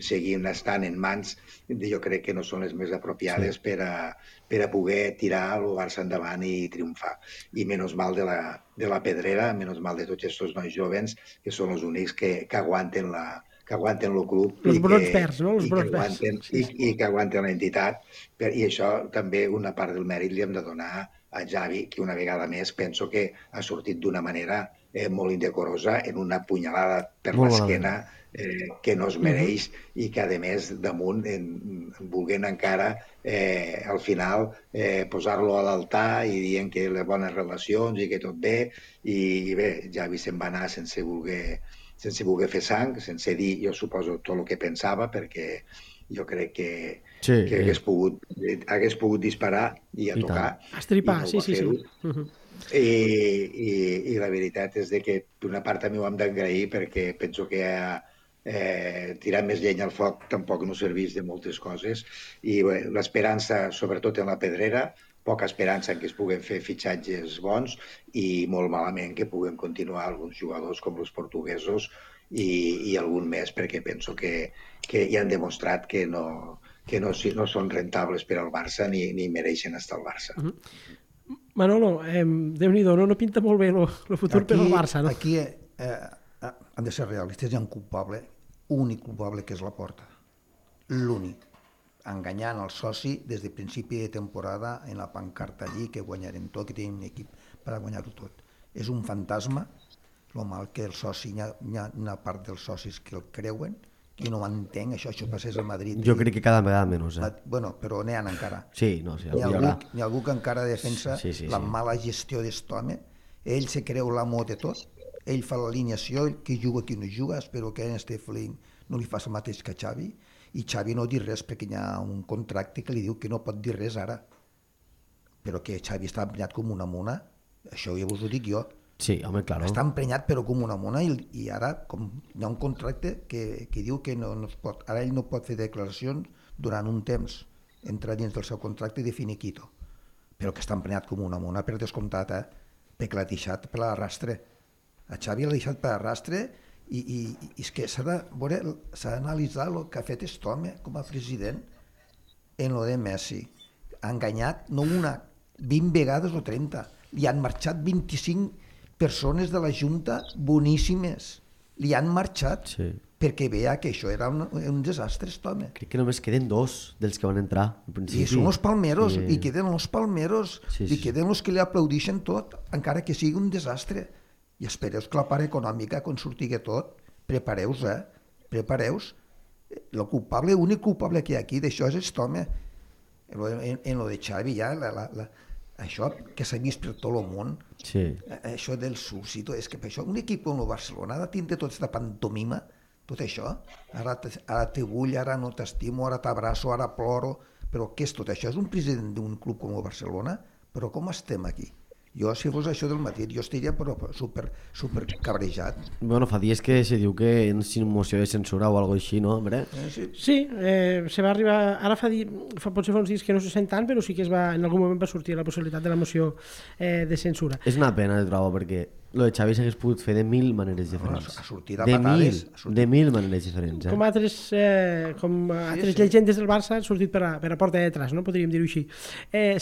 estant en mans, jo crec que no són les més apropiades per a poder tirar el Barça endavant i triomfar. I menys mal de la Pedrera, menys mal de tots aquests nois jovens, que són els únics que aguanten el club i que aguanten l'entitat, i això també una part del mèrit li hem de donar a Xavi, que una vegada més penso que ha sortit d'una manera molt indecorosa, en una punyalada per l'esquena que no es mereix i que a més damunt volent encara al final posar-lo a l'altar i dient que les bones relacions i que tot bé, i bé, Xavi se'n va anar sense voler fer sang, sense dir, jo suposo, tot el que pensava, perquè jo crec que hagués pogut disparar i a tocar. Estripar, sí. I la veritat és que d'una part també ho hem d'agrair perquè penso que tirar més llenya al foc tampoc no serveix de moltes coses i l'esperança, sobretot en la Pedrera, poca esperança en que es puguen fer fitxatges bons i molt malament que puguen continuar alguns jugadors com els portuguesos i algun més, perquè penso que ja han demostrat que no són rentables per al Barça ni mereixen estar al Barça. Manolo, Déu-n'hi-do, no pinta molt bé el futur per al Barça, no? Aquí han de ser realistes, hi ha un culpable, únic culpable, que és la Porta. L'únic. Enganyant el soci des de principi de temporada en la pancarta allí, que guanyarem tot, que tenim un equip per a guanyar-ho tot. És un fantasma, el mal que el soci, hi ha una part dels socis que el creuen, i no m'entenc, això passés a Madrid. Jo crec que cada vegada menys. Bueno, però n'hi ha encara. Sí, no, sí, hi ha algú que encara defensa la mala gestió d'est home, ell se creu l'amo de tot, ell fa l'alineació, qui juga, qui no juga, espero que en Flick no li faci el mateix que Xavi, i Xavi no dir res perquè hi ha un contracte que li diu que no pot dir res ara, però que Xavi està emprenyat com una mona, això ja vos ho dic jo. Sí, home, clar. Està emprenyat però com una mona i ara hi ha un contracte que diu que no es pot, ara ell no pot fer declaracions durant un temps, entra dins del seu contracte de finiquito, però que està emprenyat com una mona per descomptat, perquè l'ha deixat per l'arrastre. A Xavi l'ha deixat per l'arrastre i és que s'ha d'analitzar el que ha fet aquest home com a president en lo de Messi. Ha enganyat no una, 20 vegades o 30. Li han marxat 25 persones de la Junta boníssimes. Li han marxat perquè veia que això era un desastre, aquest home. Crec que només queden 2 dels que van entrar al principi. I són els palmeros, i queden els palmeros, i queden els que li aplaudixen tot, encara que sigui un desastre. I espereu que la part econòmica, quan surti tot, prepareu-vos, prepareu-vos, l'únic culpable que hi ha aquí d'això és aquest home. En lo de Xavi ja, això que s'ha vist per tot el món, això del súbsito, és que per això un equip com el Barcelona ha de tindre tota aquesta pantomima, tot això, ara te vull, ara no t'estimo, ara t'abraço, ara ploro, però què és tot això? És un president d'un club com el Barcelona? Però com estem aquí? Jo, si fos això del Madrid, jo estaria super cabrejat. Bueno, fa dies que se diu que sin moció de censura o algo així, no, hombre? Sí, se va arribar... Ara potser fa uns dies que no se sent tant, però sí que en algun moment va sortir la possibilitat de la moció de censura. És una pena, trobo, perquè lo de Xavi s'hagués pogut fer de 1000 maneres diferents. Ha sortit a patades. De mil maneres diferents. Com altres llegendes del Barça han sortit per a porta de detrás, no? Podríem dir-ho així.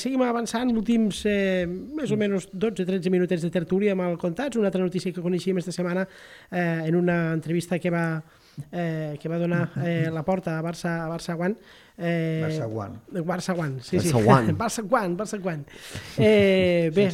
Seguim avançant, últims més o menys 12-13 minutets de tertúlia amb el Contats. Una altra notícia que coneixíem esta setmana en una entrevista que va donar la porta a Barça One. Barça One, sí. Barça One. Bé,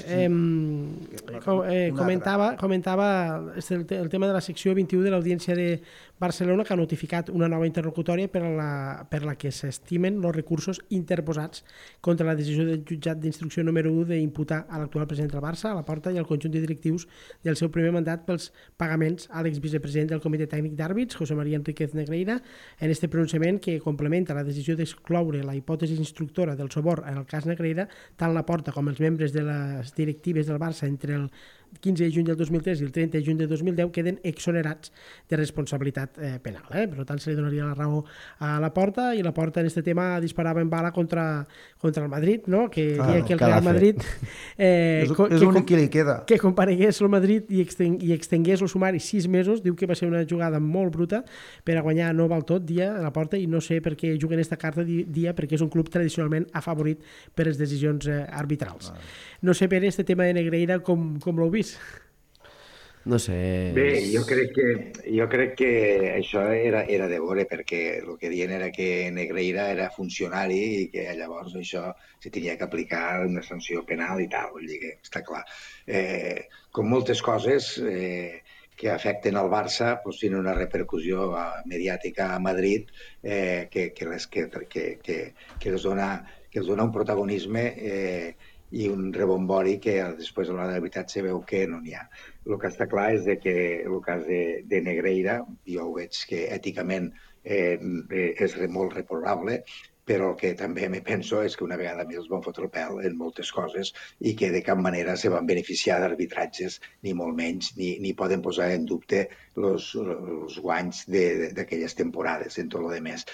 comentava el tema de la secció 21 de l'Audiència de Barcelona, que ha notificat una nova interlocutòria per la que s'estimen els recursos interposats contra la decisió del jutjat d'instrucció número 1 d'imputar a l'actual president del Barça, a Laporta, i al conjunt de directius del seu primer mandat pels pagaments a l'exvicepresident del Comitè Tècnic d'Àrbits, José María Enríquez Negreira, en este pronunciament que complementa la decisió d'excloure la hipòtesi instructora del sobor en el cas Negreira, tant Laporta com els membres de les directives del Barça entre el 15 de juny del 2003 i el 30 de juny del 2010 queden exonerats de responsabilitat penal. Per tant, se li donaria la raó a Laporta, i Laporta en aquest tema disparava en bala contra el Madrid, no? Que deia que el Real Madrid és l'únic que li queda, que comparegués el Madrid i extengués el sumari 6 mesos. Diu que va ser una jugada molt bruta per a guanyar no val tot, dia a Laporta, i no sé per què juguen esta carta dia, perquè és un club tradicionalment afavorit per les decisions arbitrals. No sé, Pere, este tema de Negreira com l'heu vist? No sé... Bé, jo crec que això era de veure, perquè el que diuen era que Negreira era funcionari i que llavors això se tenia que aplicar una sanció penal i tal, vull dir que està clar. Com moltes coses que afecten el Barça, doncs tenen una repercussió mediàtica a Madrid que els dona un protagonisme i un rebombori que després a l'hora de la veritat se veu que no n'hi ha. El que està clar és que el cas de Negreira, jo ho veig que èticament és molt reprobable, però el que també me penso és que una vegada més van fotre el pèl en moltes coses i que de cap manera se van beneficiar d'arbitratges, ni molt menys, ni poden posar en dubte els guanys d'aquelles temporades en tot el més.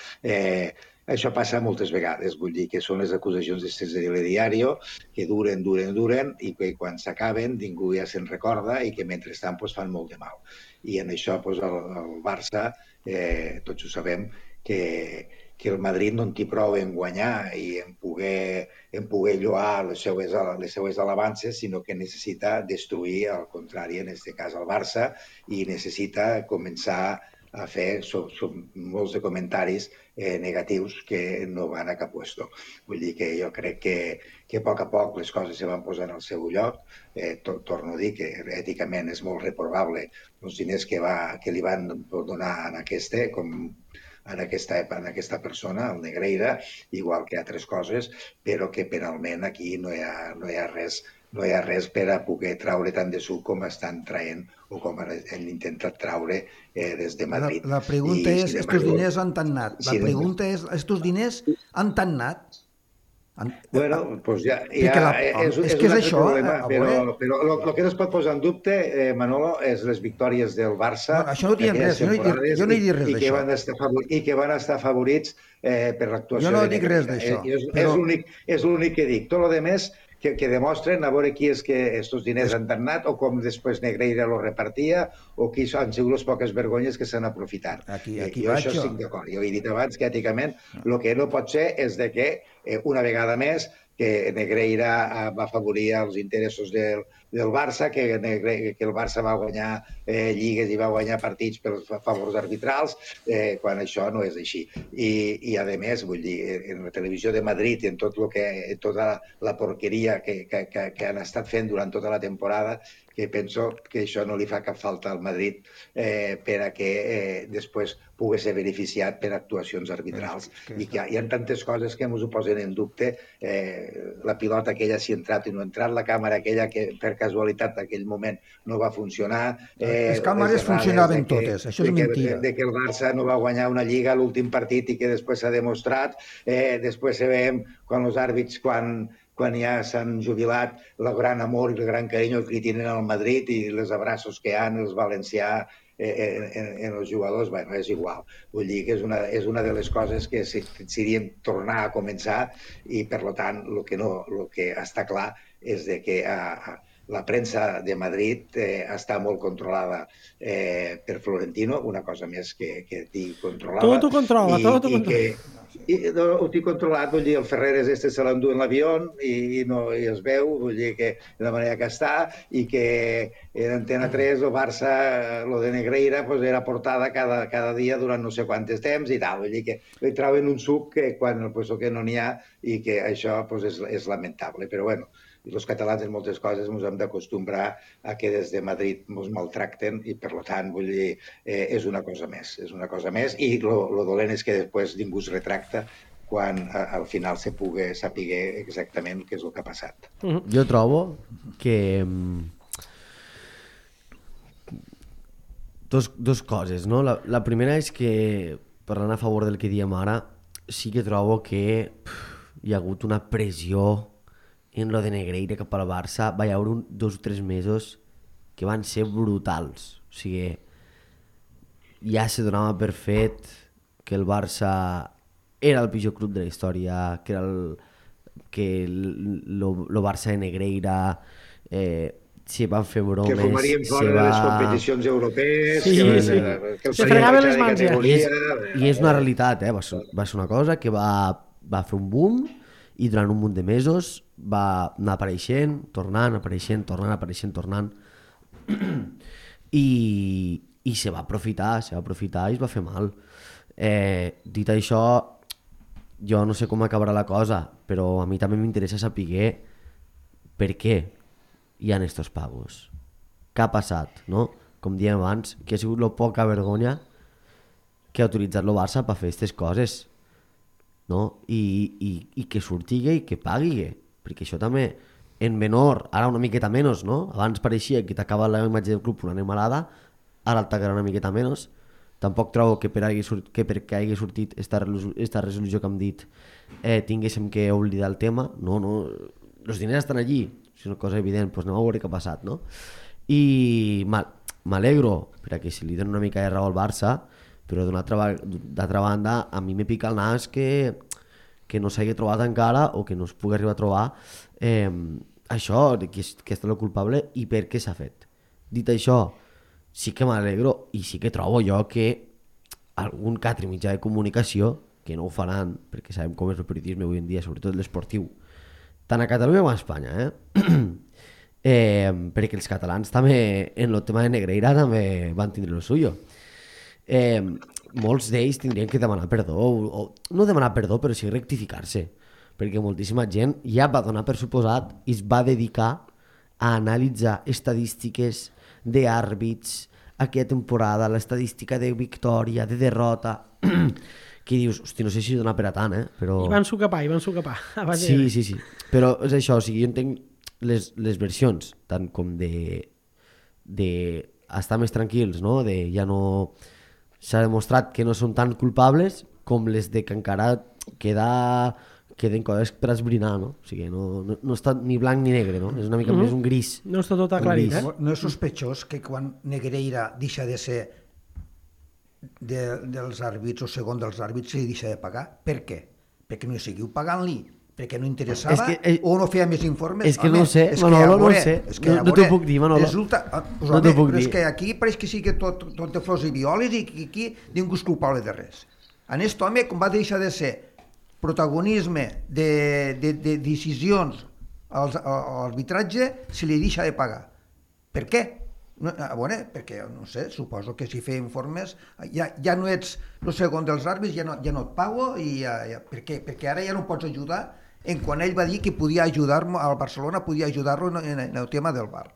Això passa moltes vegades, vull dir que són les acusacions d'estès de telediario que duren i que quan s'acaben ningú ja se'n recorda i que mentrestant fan molt de mal. I en això el Barça, tots ho sabem, que el Madrid no en té prou en guanyar i en poder lloar les seues alabances, sinó que necessita destruir, al contrari, en aquest cas el Barça, i necessita començar a fer molts de comentaris negatius que no van a cap puesto. Vull dir que jo crec que a poc les coses se van posar en el seu lloc. Torno a dir que èticament és molt reprobable els diners que li van donar en aquesta persona, el Negreira, igual que altres coses, però que penalment aquí no hi ha res per a poder traure tant de suc com estan traient o com han intentat traure des de Madrid. La pregunta és, estos diners han anat? La pregunta és, estos diners han anat? Bueno, doncs ja és que és això, però el que no es pot posar en dubte, Manolo, és les victòries del Barça. Això no dic res, jo no he dit res d'això. I que van estar afavorits per l'actuació. Jo no dic res d'això. És l'únic que dic. Tot el més que demostren a veure qui és que aquests diners han anat o com després Negreira lo repartia o qui han sigut les poques vergonyes que s'han aprofitat. Jo això estic d'acord. Jo he dit abans que èticament el que no pot ser és que una vegada més que Negreira va afavorir els interessos del Barça, que el Barça va guanyar lligues i va guanyar partits pels favors arbitrals, quan això no és així. I a més, vull dir, en la televisió de Madrid i en tota la porqueria que han estat fent durant tota la temporada, que penso que això no li fa cap falta al Madrid per a que després pugui ser beneficiat per actuacions arbitrals. I que hi ha tantes coses que ens ho posen en dubte. La pilota aquella si ha entrat i no ha entrat, la càmera aquella que per casualitat en aquell moment no va funcionar. Les càmeres funcionaven totes, això és mentida. De que el Barça no va guanyar una lliga a l'últim partit i que després s'ha demostrat. Després sabem quan els àrbits, quan ja s'han jubilat, el gran amor i el gran carinyo que tenen al Madrid i els abraços que hi ha els valencià en els jugadors, bueno, és igual. Vull dir que és una de les coses que serien tornar a començar i, per tant, el que està clar és que la premsa de Madrid està molt controlada per Florentino, una cosa més que controlava. Tot ho controla. Ho tinc controlat, vull dir, el Ferreres se l'endú en l'avió i es veu, vull dir que de la manera que està, i que en Antena 3 el Barça, lo de Negreira, era portada cada dia durant no sé quantes temps i tal, vull dir que li trauen un suc que no n'hi ha i que això és lamentable, però bueno, els catalans en moltes coses ens hem d'acostumbrar a que des de Madrid ens maltracten i, per tant, vull dir, és una cosa més. I el dolent és que després ningú es retracta quan al final se pugui saber exactament què és el que ha passat. Jo trobo que dos coses, no? La primera és que, parlant a favor del que diem ara, sí que trobo que hi ha hagut una pressió en lo de Negreira cap al Barça. Va haver 2 o 3 mesos que van ser brutals. O sigui, ja se donava per fet que el Barça era el pitjor club de la història, que era el Barça de Negreira, se van fer bromes, que fumarien fora de les competicions europees, que se fregaven les mans ja. I és una realitat, va ser una cosa que va fer un boom i durant un munt de mesos va anar apareixent, tornant i se va aprofitar i es va fer mal. Dit això, jo no sé com acabarà la cosa, però a mi també m'interessa saber per què hi ha estos pagos, què ha passat, no? Com dèiem abans, que ha sigut la poca vergonya que ha utilitzat el Barça per fer aquestes coses, no? I que surtigui i que pagui, perquè això també en menor, ara una miqueta menys, no? Abans pareixia que t'acaba la imatge del club una animalada, ara t'acabarà una miqueta menys. Tampoc trobo que perquè hagi sortit esta resolució que hem dit tinguéssim que oblidar el tema. No, els diners estan allí, és una cosa evident, doncs anem a veure què ha passat, no? I m'alegro perquè se li dona una mica de raó al Barça, però d'altra banda a mi me pica el nas que no s'hagi trobat encara o que no es pugui arribar a trobar això, que és el culpable i per què s'ha fet. Dit això, sí que m'alegro i sí que trobo jo que algun que altre mitjà de comunicació, que no ho faran perquè sabem com és el periodisme avui en dia, sobretot l'esportiu, tant a Catalunya com a Espanya, perquè els catalans també en el tema de Negreira també van tindre el suyo. Molts d'ells tindrien que demanar perdó, o no demanar perdó, però sí rectificar-se, perquè moltíssima gent ja va donar per suposat i es va dedicar a analitzar estadístiques d'àrbits aquella temporada, l'estadística de victòria, de derrota, que dius, hosti, no sé si dona per a tant, però... I van socapar. Sí, però és això, o sigui, jo entenc les versions, tant com de estar més tranquils, no? De ja no... S'ha demostrat que no són tan culpables com les de que encara queden coses per esbrinar, no? O sigui, no està ni blanc ni negre, no? És una mica més un gris. No està tot aclarit, No és sospechós que quan Negreira deixa de ser dels àrbits o segon dels àrbits se li deixa de pagar? Per què? Perquè no hi seguiu pagant-li? Perquè no interessava o no feia més informes? És que no ho sé, Manolo, no ho sé. No t'ho puc dir, Manolo. No t'ho puc dir. És que aquí pareix que sí que tot de flors i violes i que aquí ningú és culpable de res. En aquest home, com va deixar de ser protagonisme de decisions a l'arbitratge, se li deixa de pagar. Per què? Perquè, no sé, suposo que si feia informes ja no ets el segon dels àrbits, ja no et pago, perquè ara ja no pots ajudar quan ell va dir que podia ajudar-me al Barcelona, podia ajudar-lo en el tema del VAR.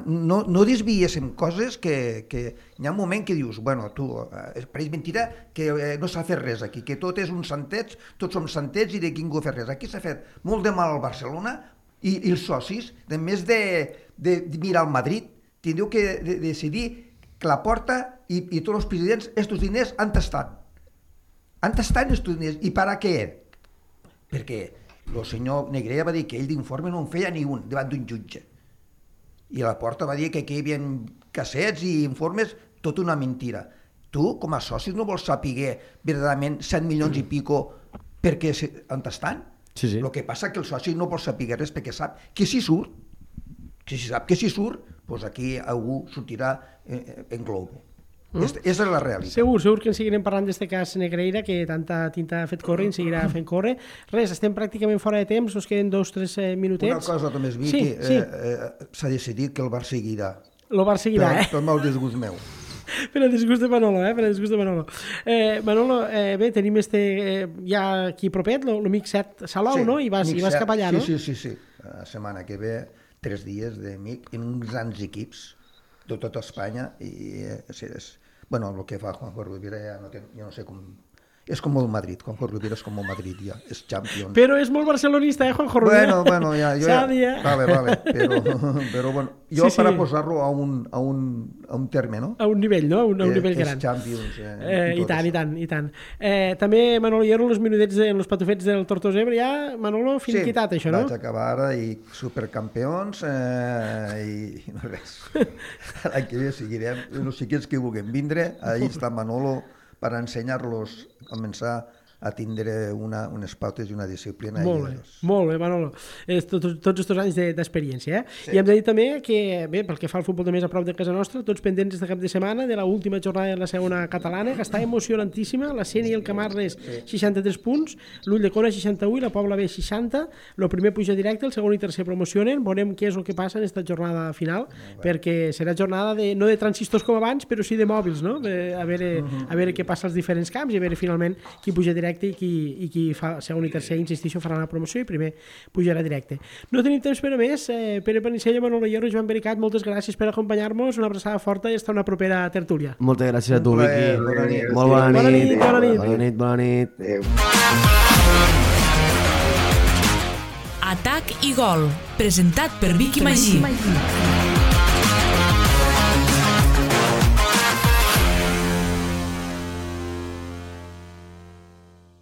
no desviéssim coses que hi ha un moment que dius, bueno, tu, pareix mentira que no s'ha fet res aquí, que tot és un santets, tots som santets i de qui ningú ha fet res. Aquí s'ha fet molt de mal al Barcelona i els socis, de més de mirar al Madrid, tindreu que decidir que la Porta i tots els presidents, estos diners, on estan? On estan estos diners? I per a què? Perquè el senyor Negrea va dir que ell d'informe no en feia ni un davant d'un jutge. I la Porta va dir que aquí hi havia cassets i informes, tota una mentira. Tu, com a socis, no vols saber verdaderament 100 milions i pico perquè on estan? Sí. El que passa que el soci no vol saber res perquè sap que si surt, doncs aquí algú sortirà en globo. Aquesta és la realitat. Segur que en seguirem parlant d'aquest cas Negreira, que tanta tinta ha fet córrer i en seguirà fent córrer. Res, estem pràcticament fora de temps, ens queden 2 o 3 minutets. Una cosa només, Vicky, s'ha decidit que el Bar seguirà. El Bar seguirà, Per mal disgust meu. Per el disgust de Manolo, per el disgust de Manolo. Manolo, bé, tenim ja aquí propet, l'amic Set Salou, no? I vas cap allà, no? Sí. La setmana que ve, 3 dies d'amic en uns grans equips de tota Espanya i bueno, el que fa Juanjo Rubira ja no sé com... És com el Madrid, Juanjo Rubira és com el Madrid ja, és Champions. Però és molt barcelonista, Juanjo Rubira? Bueno, ja... Vale, però bueno, jo per a posar-lo a un terme, no? A un nivell, no? A un nivell gran. És Champions. I tant. També, Manolo Hierro, els minutets, els patufets del Tortosa Ebre, ja, Manolo, finiquitat, això, no? Sí, vaig acabar ara i supercampions i no res. L'any que ve seguirem, els xiquets que vulguin vindre, allà està Manolo, per ensenyar-los a començar a tindre unes pautes i una disciplina. Molt bé, Manolo. Tots aquests anys d'experiència. Sí. I hem de dir també que, bé, pel que fa al futbol de més a prop de casa nostra, tots pendents de cap de setmana de l'última jornada de la segona catalana, que està emocionantíssima, la Sènia i el Camarles 63 punts, l'Ulldecona 61 i la Pobla B 60, el primer puja directe, el segon i tercer promocionen, veurem què és el que passa en aquesta jornada final, perquè serà jornada no de transistors com abans, però sí de mòbils, no? A veure què passa als diferents camps i a veure finalment qui puja directe i qui fa segon i tercer, insistixo, farà la promoció i primer pujarà directe. No tenim temps per a més. Pere Panicella, Manolo Hierro, Joan Bericat, moltes gràcies per acompanyar-nos, una abraçada forta i fins una propera tertúlia. Moltes gràcies a tu, Vicky. Molt bona nit. Atac i gol, presentat per Vicky Magí.